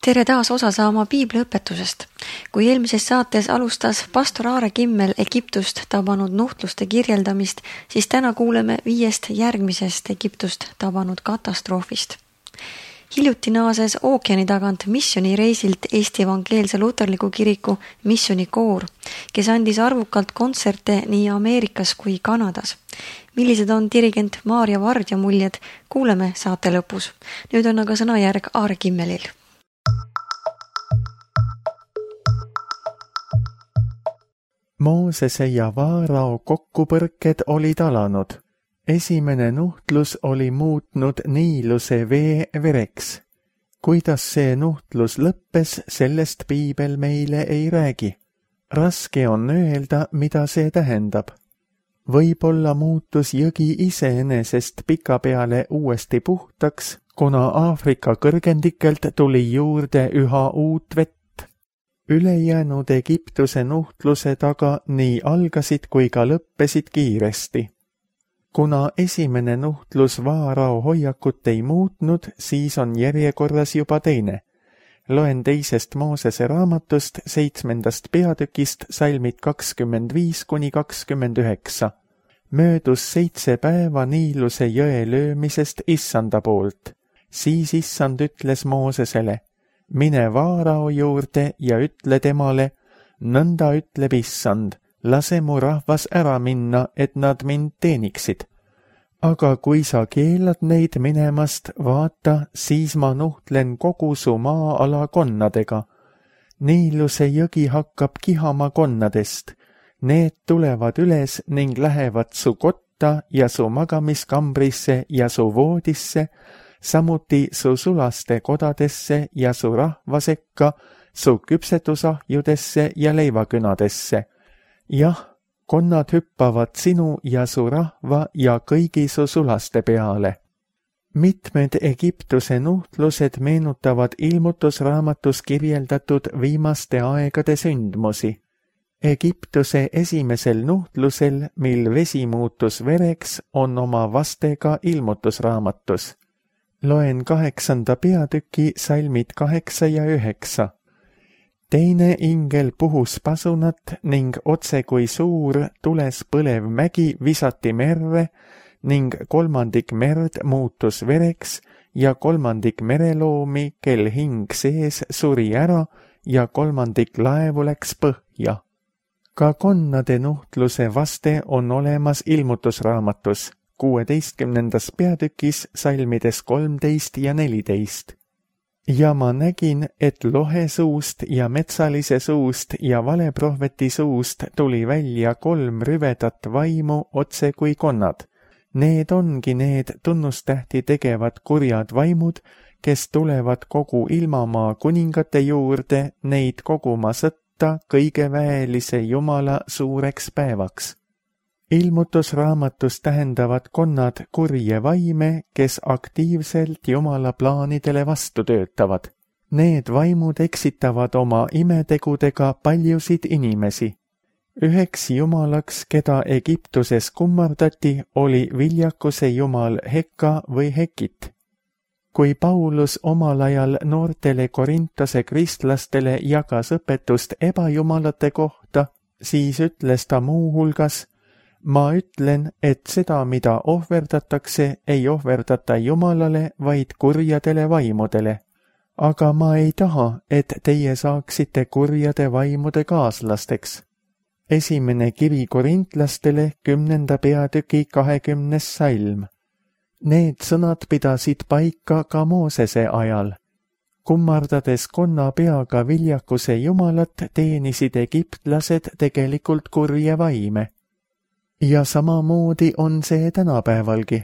Tere taas osa saama piibliõpetusest. Kui eelmises saates alustas pastor Aare Kimmel Egiptust tabanud nuhtluste kirjeldamist, siis täna kuuleme 5 järgmisest Egiptust tabanud katastroofist. Hiljuti naases ookeani tagant missioonireisilt Eesti Evangeelse Luterliku Kiriku missioonikoor, kes andis arvukalt kontserte nii Ameerikas kui Kanadas. Millised on dirigent Maarja Vardja muljed, kuuleme saate lõpus. Nüüd on aga sõnajärg Aare Kimmelil. Moosese ja Vaarao kokkupõrked olid alanud. Esimene nuhtlus oli muutnud Niiluse vee vereks. Kuidas see nuhtlus lõppes, sellest piibel meile ei räägi. Raske on öelda, mida see tähendab. Võib-olla muutus jõgi iseenesest pikapeale uuesti puhtaks, kuna Aafrika kõrgendikelt tuli juurde üha uut vett. Ülejäänud Egiptuse nuhtluse taga nii algasid kui ka lõppesid kiiresti. Kuna esimene nuhtlus Vaarao hoiakut ei muutnud, siis on järjekorras juba teine. Loen 2. Moosese raamatust 7. peatükist salmid 25–29. Möödus 7 päeva Niiluse jõe löömisest Issanda poolt. Siis Issand ütles Moosesele: mine Vaarao juurde ja ütle temale, nõnda ütleb Issand, lase mu rahvas ära minna, et nad mind teeniksid. Aga kui sa keelad neid minemast, vaata, siis ma nuhtlen kogu su maa-ala konnadega. Niiluse jõgi hakkab kihama konnadest. Need tulevad üles ning lähevad su kotta ja su magamiskambrisse ja su voodisse, samuti su sulaste kodadesse ja su rahva sekka, su küpsetusahjudesse ja leivakünadesse. Jah, konnad hüppavad sinu ja su rahva ja kõigi su sulaste peale. Mitmed Egiptuse nuhtlused meenutavad ilmutusraamatus kirjeldatud viimaste aegade sündmusi. Egiptuse esimesel nuhtlusel, mil vesi muutus vereks, on oma vastega ilmutusraamatus. Loen 8. peatüki salmid 8 ja 9. Teine ingel puhus pasunat ning otse kui suur tules põlev mägi visati merre ning 3. merd muutus vereks ja 3. mereloomi, kel hing sees, suri ära ja 3. laevu läks põhja. Ka konnade nuhtluse vaste on olemas ilmutusraamatus 16. peatükis salmides 13 ja 14. Ja ma nägin, et lohe suust ja metsalise suust ja valeprohveti suust tuli välja 3 rüvedat vaimu otse kui konnad. Need ongi need tunnustähti tegevad kurjad vaimud, kes tulevad kogu ilmamaa kuningate juurde neid koguma sõtta kõige väelise Jumala suureks päevaks. Ilmutusraamatus tähendavad konnad kurje vaime, kes aktiivselt Jumala plaanidele vastu töötavad. Need vaimud eksitavad oma imetegudega paljusid inimesi. Üheks jumalaks, keda Egiptuses kummardati, oli viljakuse jumal Hekka või Hekit. Kui Paulus omal ajal noortele Korintose kristlastele jagas õpetust ebajumalate kohta, siis ütles ta muu hulgas: ma ütlen, et seda, mida ohverdatakse, ei ohverdata Jumalale, vaid kurjadele vaimudele. Aga ma ei taha, et teie saaksite kurjade vaimude kaaslasteks. Esimene kiri korintlastele 10. peatüki 20. salm. Need sõnad pidasid paika ka Moosese ajal. Kummardades konna peaga viljakuse jumalat, teenisid egiptlased tegelikult kurje vaime. Ja samamoodi on see tänapäevalgi.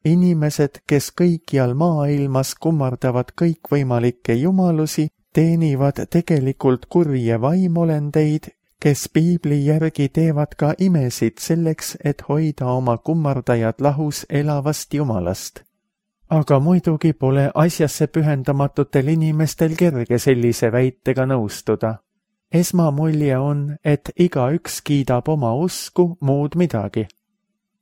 Inimesed, kes kõikjal maailmas kummardavad kõikvõimalikke jumalusi, teenivad tegelikult kurje vaimolendeid, kes piibli järgi teevad ka imesid selleks, et hoida oma kummardajad lahus elavast jumalast. Aga muidugi pole asjasse pühendamatutel inimestel kerge sellise väitega nõustuda. Esmamulje on, et igaüks kiidab oma usku, muud midagi.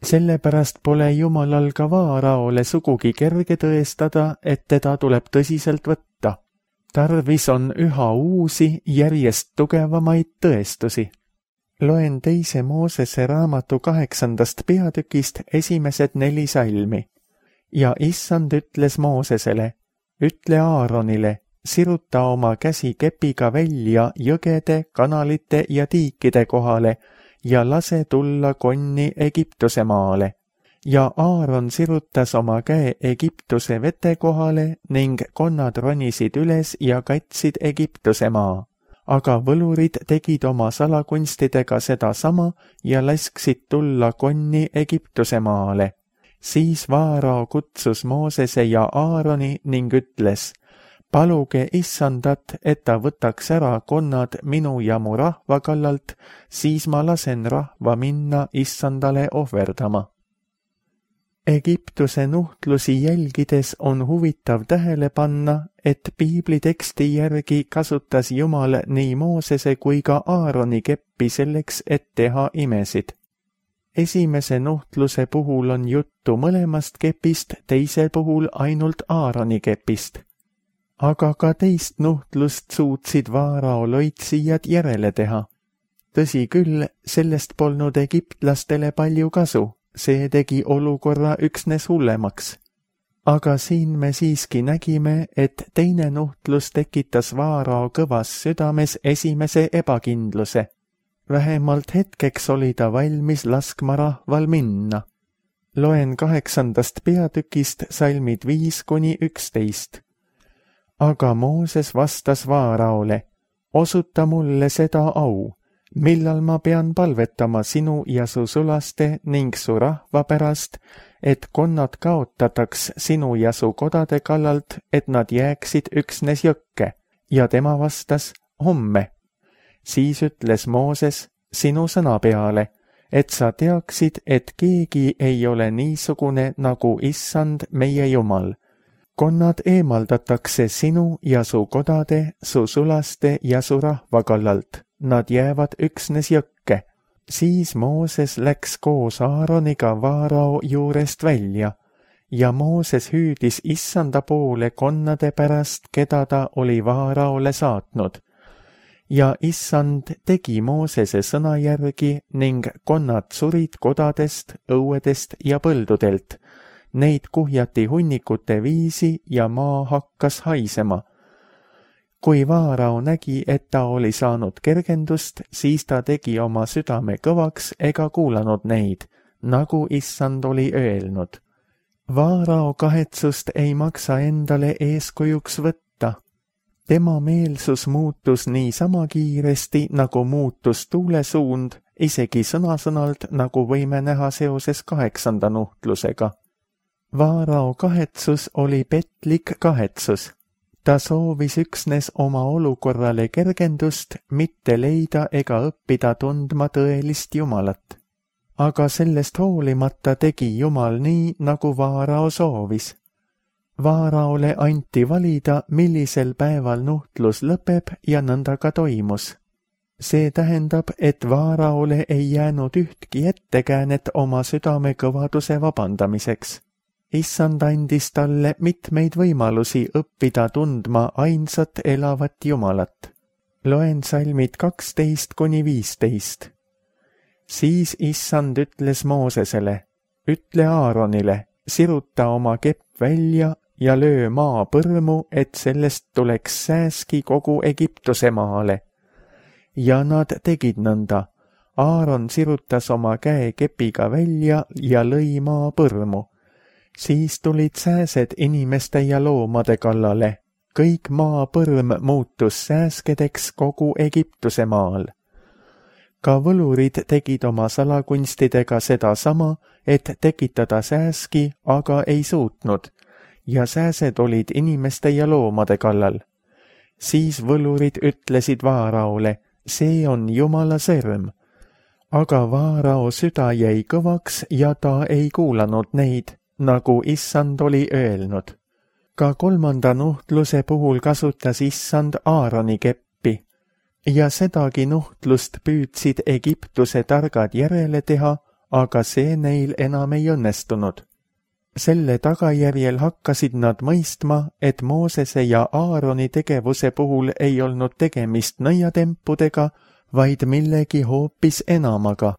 Sellepärast pole Jumalal ka Vaaraole sugugi kerge tõestada, et teda tuleb tõsiselt võtta. Tarvis on üha uusi, järjest tugevamaid tõestusi. Loen 2. Moosese raamatu 8. peatükist esimesed 4 salmi. Ja issand ütles Moosesele, ütle Aaronile, siruta oma käsi kepiga välja jõgede, kanalite ja tiikide kohale ja lase tulla konni Egiptuse maale. Ja Aaron sirutas oma käe Egiptuse vete kohale ning konnad ronisid üles ja katsid Egiptuse maa. Aga võlurid tegid oma salakunstidega sedasama ja lasksid tulla konni Egiptuse maale. Siis Vaarao kutsus Moosese ja Aaroni ning ütles, paluge issandat, et ta võtaks ära konnad minu ja mu rahva kallalt, siis ma lasen rahva minna issandale ohverdama. Egiptuse nuhtlusi jälgides on huvitav tähele panna, et piibliteksti järgi kasutas Jumal nii Moosese kui ka Aaroni keppi selleks, et teha imesid. Esimese nuhtluse puhul on juttu mõlemast kepist, teise puhul ainult Aaroni kepist. Aga ka teist nuhtlust suutsid Vaarao loitsijad järele teha. Tõsi küll, sellest polnud egiptlastele palju kasu, see tegi olukorra üksnes hullemaks. Aga siin me siiski nägime, et teine nuhtlus tekitas Vaarao kõvas südames esimese ebakindluse. Vähemalt hetkeks oli ta valmis laskma rahval minna. Loen 8. peatükist salmid 5–11. Aga Mooses vastas Vaaraole, osuta mulle seda au, millal ma pean palvetama sinu ja su sulaste ning su rahva pärast, et konnad kaotataks sinu ja su kodade kallalt, et nad jääksid üksnes jõkke. Ja tema vastas, homme. Siis ütles Mooses sinu sõna peale, et sa teaksid, et keegi ei ole niisugune nagu issand meie Jumal. Konnad eemaldatakse sinu ja su kodade, su sulaste ja su rahva kallalt. Nad jäävad üksnes jõkke. Siis Mooses läks koos Aaroniga Vaarao juurest välja ja Mooses hüüdis issanda poole konnade pärast, keda ta oli Vaaraole saatnud. Ja issand tegi Moosese sõna järgi ning konnad surid kodadest, õuedest ja põldudelt. Neid kuhjati hunnikute viisi ja maa hakkas haisema. Kui Vaarao nägi, et ta oli saanud kergendust, siis ta tegi oma südame kõvaks ega kuulanud neid, nagu issand oli öelnud. Vaarao kahetsust ei maksa endale eeskujuks võtta. Tema meelsus muutus niisama kiiresti, nagu muutus tuulesuund, isegi sõna-sõnalt, nagu võime näha seoses 8. nuhtlusega. Vaarao kahetsus oli petlik kahetsus. Ta soovis üksnes oma olukorrale kergendust, mitte leida ega õppida tundma tõelist Jumalat. Aga sellest hoolimata tegi Jumal nii, nagu Vaarao soovis. Vaaraole anti valida, millisel päeval nuhtlus lõpeb ja nõnda ka toimus. See tähendab, et Vaaraole ei jäänud ühtki ettekäänet oma südame kõvaduse vabandamiseks. Issand andis talle mitmeid võimalusi õppida tundma ainsat elavat Jumalat. Loen salmid 12–15. Siis issand ütles Moosesele, ütle Aaronile, siruta oma kepp välja ja löö maa põrmu, et sellest tuleks sääski kogu Egiptuse maale. Ja nad tegid nõnda. Aaron sirutas oma käe kepiga välja ja lõi maa põrmu. Siis tulid sääsed inimeste ja loomade kallale. Kõik maa põrm muutus sääskedeks kogu Egiptuse maal. Ka võlurid tegid oma salakunstidega sedasama, et tekitada sääski, aga ei suutnud, ja sääsed olid inimeste ja loomade kallal. Siis võlurid ütlesid Vaaraole, see on Jumala sõrm. Aga Vaarao süda jäi kõvaks ja ta ei kuulanud neid, nagu issand oli öelnud. Ka 3. nuhtluse puhul kasutas issand Aaroni keppi ja sedagi nuhtlust püüdsid Egiptuse targad järele teha, aga see neil enam ei õnnestunud. Selle tagajärjel hakkasid nad mõistma, et Moosese ja Aaroni tegevuse puhul ei olnud tegemist nõiatempudega, vaid millegi hoopis enamaga.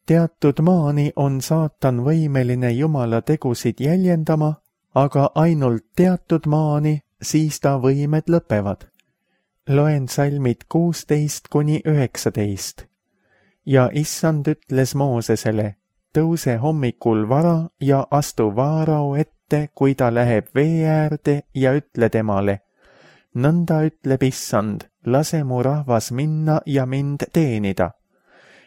Teatud maani on saatan võimeline Jumala tegusid jäljendama, aga ainult teatud maani, siis ta võimed lõpevad. Loen salmid 16–19. Ja issand ütles Moosesele, tõuse hommikul vara ja astu Vaarao ette, kui ta läheb vee äärde ja ütle temale. Nõnda ütleb issand, lase mu rahvas minna ja mind teenida.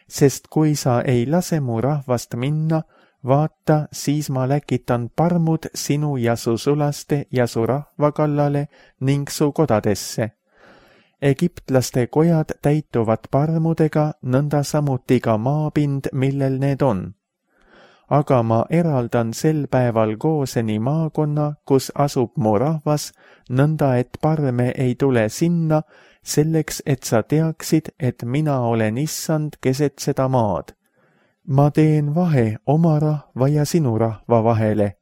Sest kui sa ei lase mu rahvast minna, vaata, siis ma läkitan parmud sinu ja su sulaste ja su rahva kallale ning su kodadesse. Egiptlaste kojad täituvad parmudega, nõnda samuti ka maapind, millel need on. Aga ma eraldan sel päeval Gooseni maakonna, kus asub mu rahvas, nõnda et parme ei tule sinna, selleks, et sa teaksid, et mina olen issand keset seda maad. Ma teen vahe oma rahva ja sinu rahva vahele.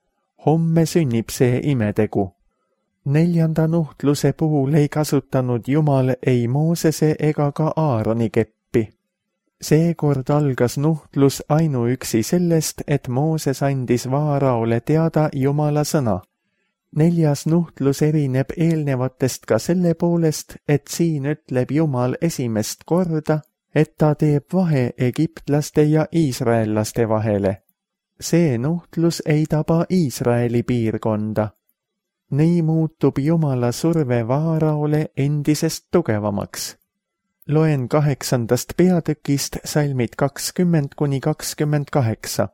Homme sünnib see imetegu. 4. nuhtluse puhul ei kasutanud Jumal ei Moosese ega ka Aaroni keppi. Seekord algas nuhtlus ainuüksi sellest, et Mooses andis Vaaraole teada Jumala sõna. 4. nuhtlus erineb eelnevatest ka selle poolest, et siin ütleb Jumal esimest korda, et ta teeb vahe egiptlaste ja iisraellaste vahele. See nuhtlus ei taba Iisraeli piirkonda. Nii muutub Jumala surve Vaaraole endisest tugevamaks. Loen 8. peatükist salmid 20–28.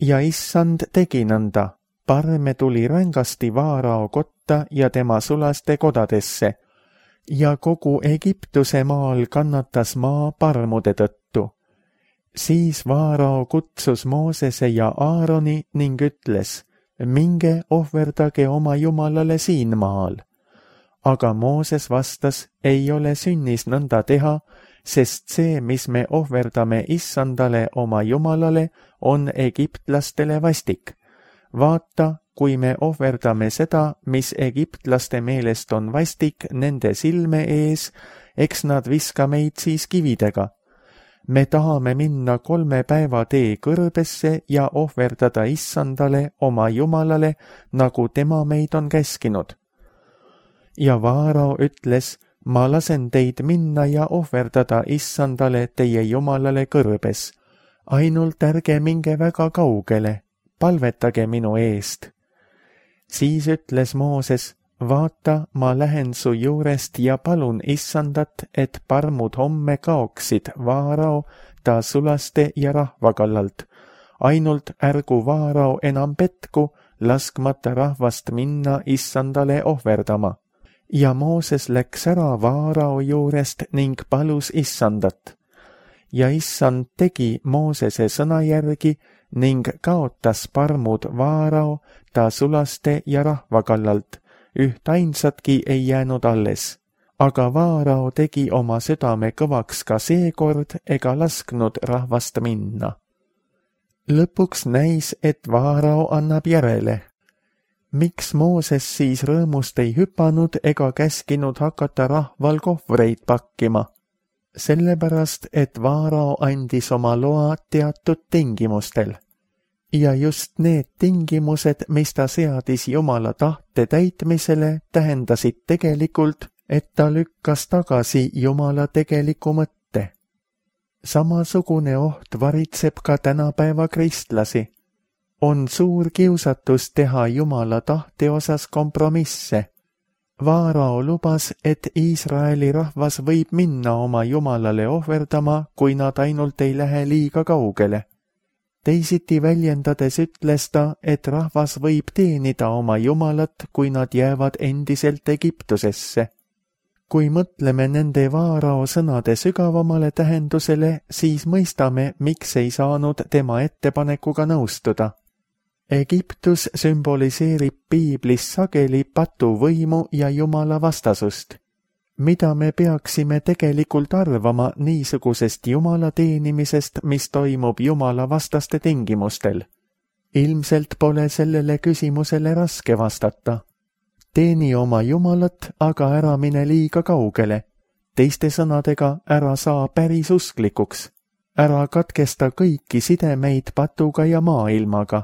Ja issand tegi nõnda. Parme tuli rängasti Vaarao kotta ja tema sulaste kodadesse, ja kogu Egiptuse maal kannatas maa parmude tõttu. Siis Vaarao kutsus Moosese ja Aaroni ning ütles, minge ohverdage oma Jumalale siin maal. Aga Mooses vastas, ei ole sünnis nõnda teha, sest see, mis me ohverdame issandale oma Jumalale, on egiptlastele vastik. Vaata, kui me ohverdame seda, mis egiptlaste meelest on vastik nende silme ees, eks nad viska meid siis kividega. Me tahame minna 3 päeva tee kõrbesse ja ohverdada issandale oma Jumalale, nagu tema meid on käskinud. Ja Vaarao ütles, ma lasen teid minna ja ohverdada issandale teie Jumalale kõrbes. Ainult ärge minge väga kaugele. Palvetage minu eest. Siis ütles Mooses, vaata, ma lähen su juurest ja palun issandat, et parmud homme kaoksid Vaarao, ta sulaste ja rahva kallalt. Ainult ärgu Vaarao enam petku, laskmata rahvast minna issandale ohverdama. Ja Mooses läks ära Vaarao juurest ning palus issandat. Ja issand tegi Moosese sõna järgi, ning kaotas parmud Vaarao, ta sulaste ja rahva kallalt, ühtainsatki ei jäänud alles. Aga Vaarao tegi oma südame kõvaks ka seekord ega lasknud rahvast minna. Lõpuks näis, et Vaarao annab järele. Miks Mooses siis rõõmust ei hüpanud ega käskinud hakata rahval kohvreid pakkima? Sellepärast, et Vaarao andis oma loa teatud tingimustel. Ja just need tingimused, mis ta seadis Jumala tahte täitmisele, tähendasid tegelikult, et ta lükkas tagasi Jumala tegeliku mõtte. Samasugune oht varitseb ka tänapäeva kristlasi. On suur kiusatus teha Jumala tahte osas kompromisse. Vaarao lubas, et Iisraeli rahvas võib minna oma Jumalale ohverdama, kui nad ainult ei lähe liiga kaugele. Teisiti väljendades ütles ta, et rahvas võib teenida oma Jumalat, kui nad jäävad endiselt Egiptusesse. Kui mõtleme nende Vaarao sõnade sügavamale tähendusele, siis mõistame, miks ei saanud tema ettepanekuga nõustuda. Egiptus sümboliseerib Piiblis sageli patuvõimu ja Jumala vastasust. Mida me peaksime tegelikult arvama niisugusest Jumala teenimisest, mis toimub Jumala vastaste tingimustel? Ilmselt pole sellele küsimusele raske vastata. Teeni oma Jumalat, aga ära mine liiga kaugele. Teiste sõnadega, ära saa päris usklikuks. Ära katkesta kõiki sidemeid patuga ja maailmaga.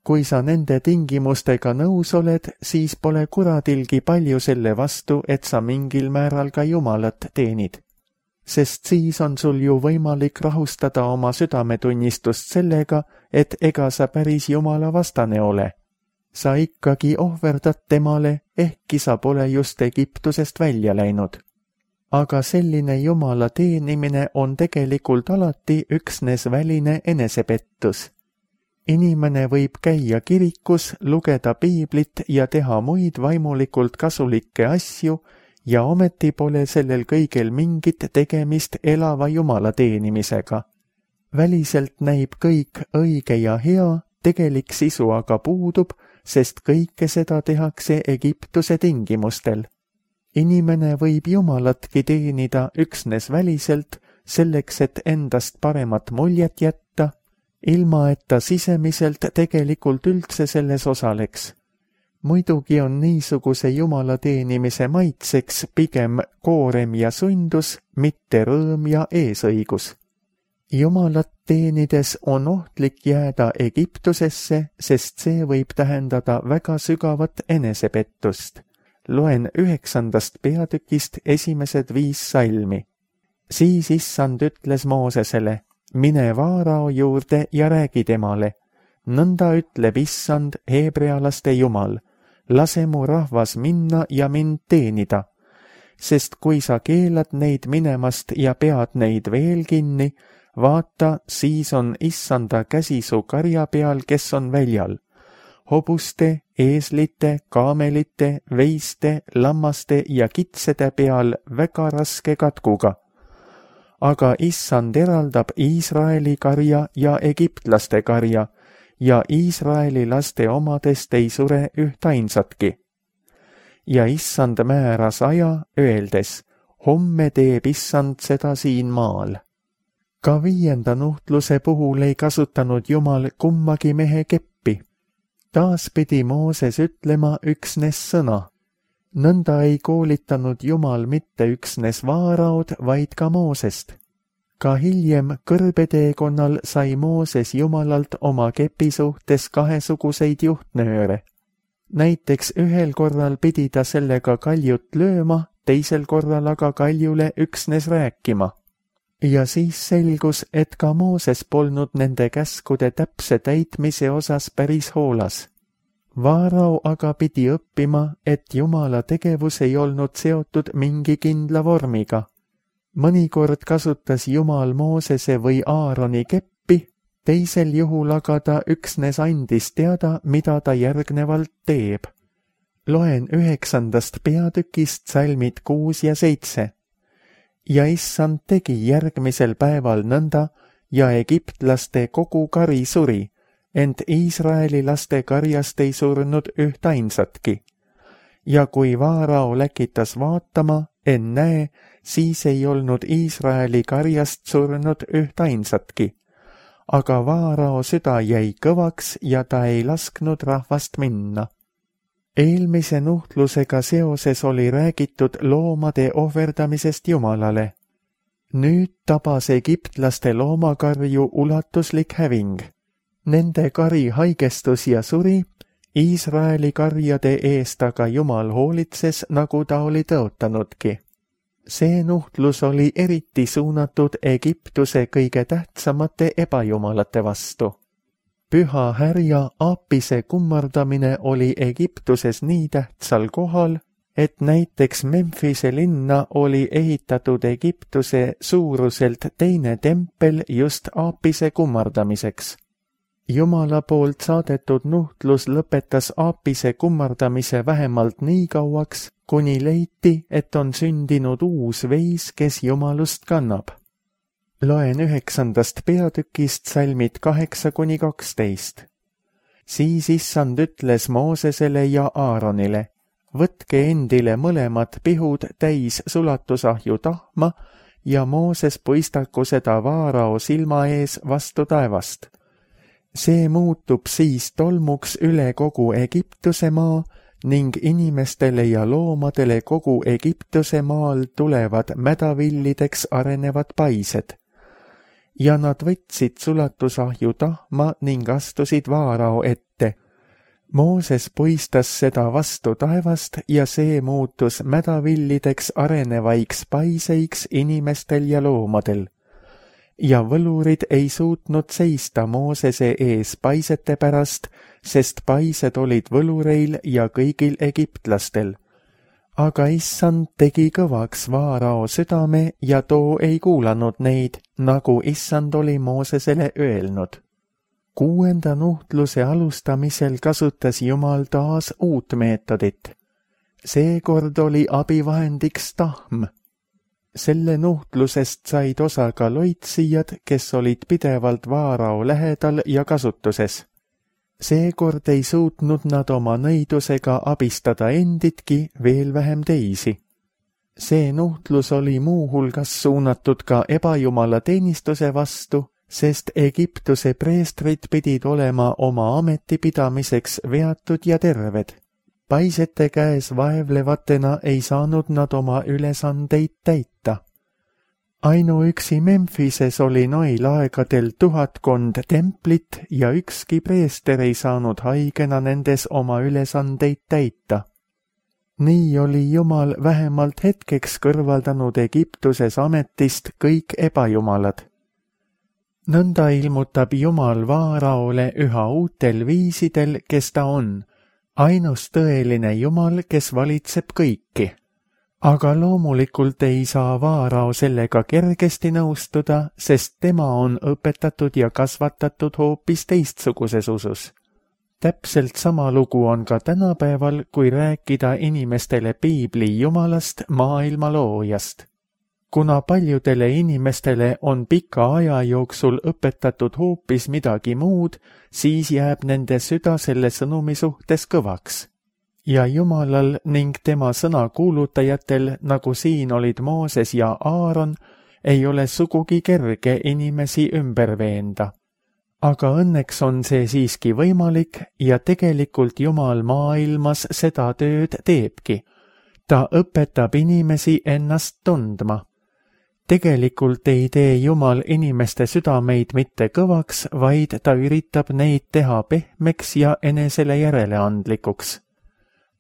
Kui sa nende tingimustega nõus oled, siis pole kuradilgi palju selle vastu, et sa mingil määral ka Jumalat teenid. Sest siis on sul ju võimalik rahustada oma südametunnistust sellega, et ega sa päris Jumala vastane ole. Sa ikkagi ohverdad temale, ehkki sa pole just Egiptusest välja läinud. Aga selline Jumala teenimine on tegelikult alati üksnes väline enesepettus. Inimene võib käia kirikus, lugeda piiblit ja teha muid vaimulikult kasulikke asju ja ometi pole sellel kõigel mingit tegemist elava Jumala teenimisega. Väliselt näib kõik õige ja hea, tegelik sisu aga puudub, sest kõike seda tehakse Egiptuse tingimustel. Inimene võib Jumalatki teenida üksnes väliselt, selleks et endast paremat muljet jätta, ilma et ta sisemiselt tegelikult üldse selles osaleks. Muidugi on niisuguse Jumala teenimise maitseks pigem koorem ja sundus, mitte rõõm ja eesõigus. Jumalat teenides on ohtlik jääda Egiptusesse, sest see võib tähendada väga sügavat enesepettust. Loen 9. peatükist esimesed 5 salmi. Siis Issand ütles Moosesele, mine Vaarao juurde ja räägi temale. Nõnda ütleb Issand, heebrealaste Jumal, lase mu rahvas minna ja mind teenida. Sest kui sa keelad neid minemast ja pead neid veel kinni, vaata, siis on Issanda käsi su karja peal, kes on väljal. Hobuste, eeslite, kaamelite, veiste, lammaste ja kitsede peal väga raske katkuga. Aga Issand eraldab Iisraeli karja ja egiptlaste karja ja Iisraeli laste omadest ei sure ühtainsatki. Ja Issand määras aja, öeldes, homme teeb Issand seda siin maal. Ka 5. nuhtluse puhul ei kasutanud Jumal kummagi mehe keppi. Taas pidi Mooses ütlema üksnes sõna. Nõnda ei koolitanud Jumal mitte üksnes Vaaraod, vaid ka Moosest. Ka hiljem kõrbeteekonnal sai Mooses Jumalalt oma kepi suhtes kahesuguseid juhtnööre. Näiteks ühel korral pidi ta sellega kaljut lööma, teisel korral aga kaljule üksnes rääkima. Ja siis selgus, et ka Mooses polnud nende käskude täpse täitmise osas päris hoolas. Vaarao aga pidi õppima, et Jumala tegevus ei olnud seotud mingi kindla vormiga. Mõnikord kasutas Jumal Moosese või Aaroni keppi, teisel juhul aga ta üksnes andis teada, mida ta järgnevalt teeb. Loen 9. peatükist salmid 6 ja 7. Ja Issand tegi järgmisel päeval nõnda ja egiptlaste kogu kari suri, ent Iisraeli laste karjast ei surnud ühtainsatki. Ja kui Vaarao läkitas vaatama, ennäe, siis ei olnud Iisraeli karjast surnud ühtainsatki. Aga Vaarao süda jäi kõvaks ja ta ei lasknud rahvast minna. Eelmise nuhtlusega seoses oli räägitud loomade ohverdamisest Jumalale. Nüüd tabas egiptlaste loomakarju ulatuslik häving. Nende kari haigestus ja suri, Iisraeli karjade eest aga Jumal hoolitses, nagu ta oli tõotanudki. See nuhtlus oli eriti suunatud Egiptuse kõige tähtsamate ebajumalate vastu. Püha härja Aapise kummardamine oli Egiptuses nii tähtsal kohal, et näiteks Memphise linna oli ehitatud Egiptuse suuruselt teine tempel just Aapise kummardamiseks. Jumala poolt saadetud nuhtlus lõpetas Aapise kummardamise vähemalt nii kauaks, kuni leiti, et on sündinud uus veis, kes jumalust kannab. Loen 9. peatükist salmid 8-12. Siis Issand ütles Moosesele ja Aaronile, võtke endile mõlemad pihud täis sulatusahju tahma ja Mooses puistaku seda Vaarao silma ees vastu taevast. See muutub siis tolmuks üle kogu Egiptuse maa ning inimestele ja loomadele kogu Egiptuse maal tulevad mädavillideks arenevad paised. Ja nad võtsid sulatusahju tahma ning astusid Vaarao ette. Mooses puistas seda vastu taevast ja see muutus mädavillideks arenevaiks paiseiks inimestel ja loomadel. Ja võlurid ei suutnud seista Moosese ees paisete pärast, sest paised olid võlureil ja kõigil egiptlastel. Aga issand tegi kõvaks Vaarao südame ja too ei kuulanud neid, nagu issand oli Moosesele öelnud. 6. nuhtluse alustamisel kasutas Jumal taas uut meetodit. Seekord oli abivahendiks tahm. Selle nuhtlusest said osa ka loitsijad, kes olid pidevalt Vaarao lähedal ja kasutuses. Seekord ei suutnud nad oma nõidusega abistada enditki, veel vähem teisi. See nuhtlus oli muuhulgas suunatud ka ebajumala teenistuse vastu, sest Egiptuse preestrid pidid olema oma ametipidamiseks veatud ja terved. Paisete käes vaevlevatena ei saanud nad oma ülesandeid täita. Ainuüksi Memphises oli noil aegadel 1000 templit ja ükski preester ei saanud haigena nendes oma ülesandeid täita. Nii oli Jumal vähemalt hetkeks kõrvaldanud Egiptuses ametist kõik ebajumalad. Nõnda ilmutab Jumal Vaaraole üha uutel viisidel, kes ta on, ainus tõeline Jumal, kes valitseb kõiki. Aga loomulikult ei saa Vaarao sellega kergesti nõustuda, sest tema on õpetatud ja kasvatatud hoopis teistsuguses usus. Täpselt sama lugu on ka tänapäeval, kui rääkida inimestele piibli Jumalast, maailma loojast. Kuna paljudele inimestele on pika aja jooksul õpetatud hoopis midagi muud, siis jääb nende süda selle sõnumi suhtes kõvaks. Ja Jumalal ning tema sõna kuulutajatel, nagu siin olid Mooses ja Aaron, ei ole sugugi kerge inimesi ümber veenda. Aga õnneks on see siiski võimalik ja tegelikult Jumal maailmas seda tööd teebki. Ta õpetab inimesi ennast tundma. Tegelikult ei tee Jumal inimeste südameid mitte kõvaks, vaid ta üritab neid teha pehmeks ja enesele järeleandlikuks.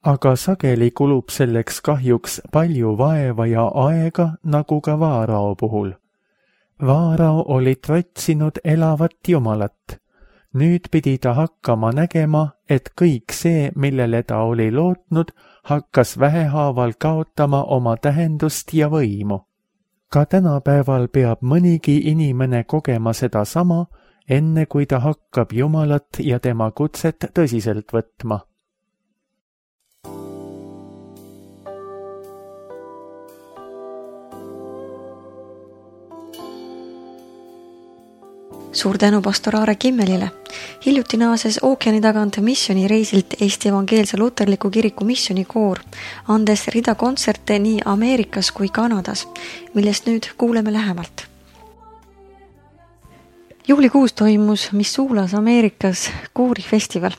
Aga sageli kulub selleks kahjuks palju vaeva ja aega, nagu ka Vaarao puhul. Vaarao oli trotsinud elavat Jumalat. Nüüd pidi ta hakkama nägema, et kõik see, millele ta oli lootnud, hakkas vähehaaval kaotama oma tähendust ja võimu. Ka tänapäeval peab mõnigi inimene kogema seda sama, enne kui ta hakkab Jumalat ja tema kutset tõsiselt võtma. Suur tänu pastor Aare Kimmelile. Hiljuti naases ookeani tagant missioonireisilt Eesti Evangeelse Luterliku Kiriku missioonikoor, andes rida kontserte nii Ameerikas kui Kanadas, millest nüüd kuuleme lähemalt. Juulikuus toimus Missoulas Ameerikas koorifestival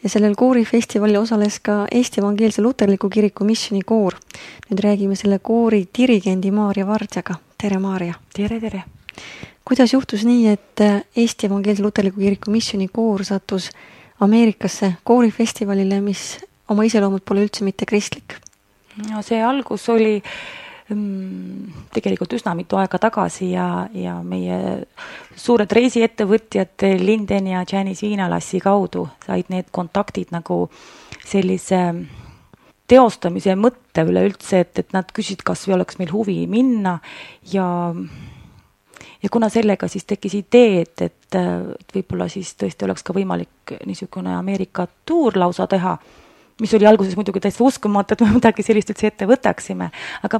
ja sellel koorifestivalil osales ka Eesti Evangeelse Luterliku Kiriku missioonikoor. Nüüd räägime selle koori dirigendi Maarja Vardjaga. Tere, Maarja! Tere! Kuidas juhtus nii, et Eesti Evangeelse Luterliku Kiriku missioonikoor sattus Ameerikasse koorifestivalile, mis oma iseloomult pole üldse mitte kristlik? No see algus oli tegelikult üsna mitu aega tagasi ja meie suured reisiettevõtjad Linden ja Janice Viinalassi kaudu said need kontaktid nagu sellise teostamise mõtte üleüldse, et nad küsid, kas või oleks meil huvi minna ja kuna sellega siis tekkis idee, et võib-olla siis tõesti oleks ka võimalik niisugune Ameerika tuur lausa teha, mis oli alguses muidugi täiesti uskumatu, et me midagi sellist üldse ette võtaksime. Aga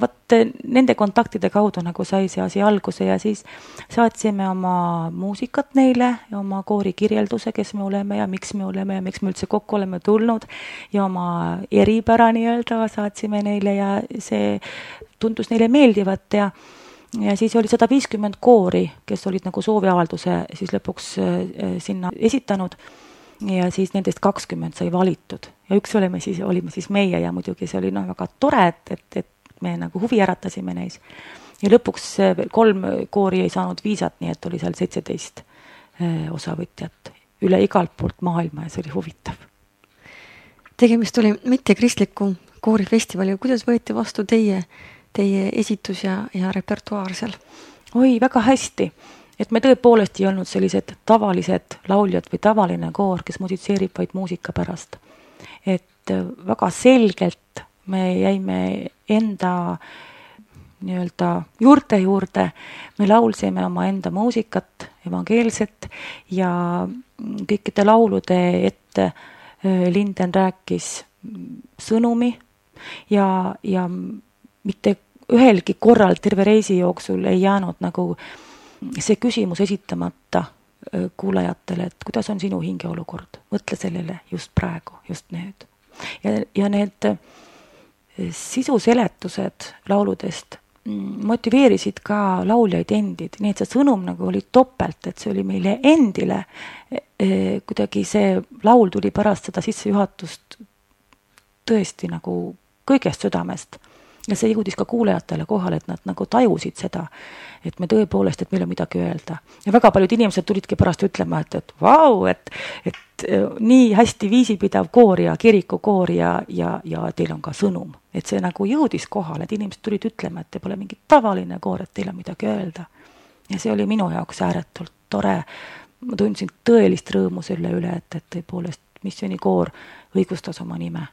nende kontaktide kaudu nagu sai see asi alguse ja siis saatsime oma muusikat neile ja oma koori kirjelduse, kes me oleme ja miks me üldse kokku oleme tulnud ja oma eripära nii-öelda saatsime neile ja see tundus neile meeldivat ja ja siis oli 150 koori, kes olid nagu sooviavalduse siis lõpuks sinna esitanud ja siis nendest 20 sai valitud ja üks olime siis meie ja muidugi see oli väga tore, et me nagu huvi äratasime neis. Ja lõpuks 3 koori ei saanud viisat, nii et oli seal 17 osavõtjat üle igalt poolt maailma ja see oli huvitav. Tegemist oli mittekristliku koorifestivali. Kuidas võeti vastu teie esitus ja repertuaar seal? Oi, väga hästi. Et me tõepoolest ei olnud sellised tavalised lauljad või tavaline koor, kes musitseerib vaid muusika pärast. Et väga selgelt me jäime enda juurde, me laulsime oma enda muusikat, evangeelset ja kõikide laulude ette Linden rääkis sõnumi ja mitte ühelgi korral terve reisi jooksul ei jäänud nagu see küsimus esitamata kuulajatele, et kuidas on sinu hingeolukord, mõtle sellele just praegu, just nüüd. Ja need sisuseletused lauludest motiveerisid ka lauljaid endid, nii et see sõnum nagu oli topelt, et see oli meile endile, kuidagi see laul tuli pärast seda sissejuhatust tõesti nagu kõigest südamest. Ja see jõudis ka kuulajatele kohale, et nad nagu tajusid seda, et me tõepoolest, et meil on midagi öelda. Ja väga paljud inimesed tulidki pärast ütlema, et vau, et nii hästi viisipidav koor ja kirikukoor ja teil on ka sõnum. Et see nagu jõudis kohale, et inimesed tulid ütlema, et te pole mingi tavaline koor, et teil on midagi öelda. Ja see oli minu jaoks ääretult tore. Ma tundsin tõelist rõõmu selle üle, et tõepoolest missioonikoor õigustas oma nime.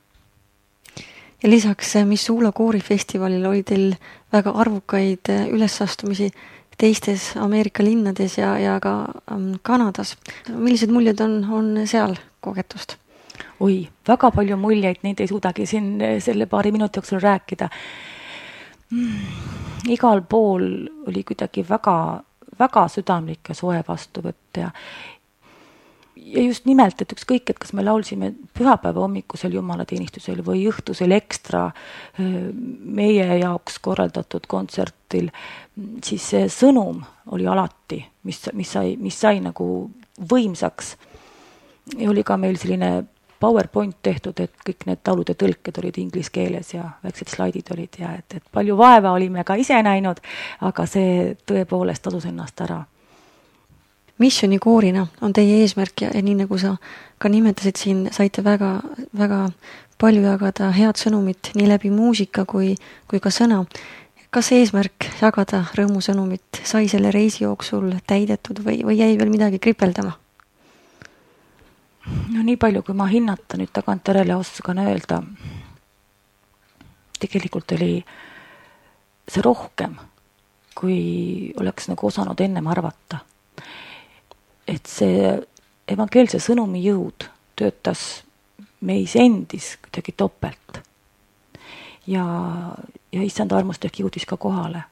Ja lisaks Missoula koorifestivalil oli teil väga arvukaid ülesastumisi teistes Ameerika linnades ja ka Kanadas. Millised muljed on seal kogetust? Oi, väga palju muljeid, neid ei suudagi siin selle paari minuti jooksul rääkida. Igal pool oli kuidagi väga, väga südamlik ja soe vastuvõtt ja just nimelt, et ükskõik, et kas me laulsime pühapäeva hommikusel jumalateenistusel või õhtusel ekstra meie jaoks korraldatud kontsertil, siis see sõnum oli alati, mis sai nagu võimsaks. Ja oli ka meil selline PowerPoint tehtud, et kõik need laulude tõlked olid inglis keeles ja väiksed slaidid olid ja et palju vaeva olime ka ise näinud, aga see tõepoolest tasus ennast ära. Missioonikoorina on teie eesmärk ja nii nagu sa ka nimetasid siin, saite väga, väga palju jagada head sõnumit nii läbi muusika kui ka sõna. Kas eesmärk jagada rõõmusõnumit sai selle reisi jooksul täidetud või jäi veel midagi kripeldama? No nii palju, kui ma hinnata nüüd tagantjärele oskan öelda, tegelikult oli see rohkem, kui oleks nagu osanud ennem arvata. Et see evangeelse sõnumi jõud töötas meis endis kuidagi topelt. Ja issanda armust ehk jõudis ka kohale.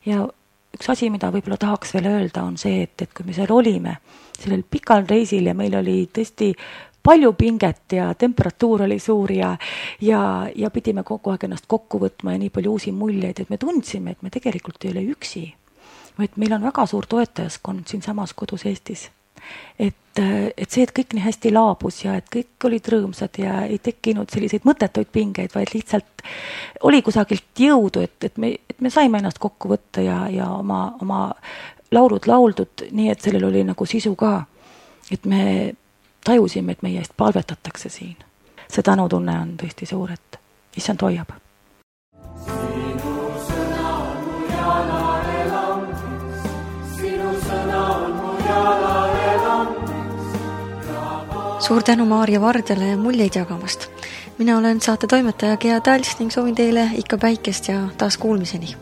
Ja üks asi, mida võib-olla tahaks veel öelda, on see, et kui me seal olime, sellel pikal reisil ja meil oli tõesti palju pinget ja temperatuur oli suur ja pidime kogu aeg ennast kokku võtma ja nii palju uusi muljeid, et me tundsime, et me tegelikult ei ole üksi. Et meil on väga suur toetajaskond siin samas kodus Eestis. Et see, et kõik nii hästi laabus ja et kõik olid rõõmsad ja ei tekkinud selliseid mõttetuid pingeid, vaid lihtsalt oli kusagilt jõudu, et me saime ennast kokku võtta ja oma laulud lauldud, nii et sellel oli nagu sisu ka. Et me tajusime, et meie eest palvetatakse siin. See tänutunne on tõesti suur, et issand hoiab. Suur tänu Maarja Vardjale muljeid jagamast. Mina olen saate toimetaja Gea Tals ning soovin teile ikka päikest ja taas kuulmiseni.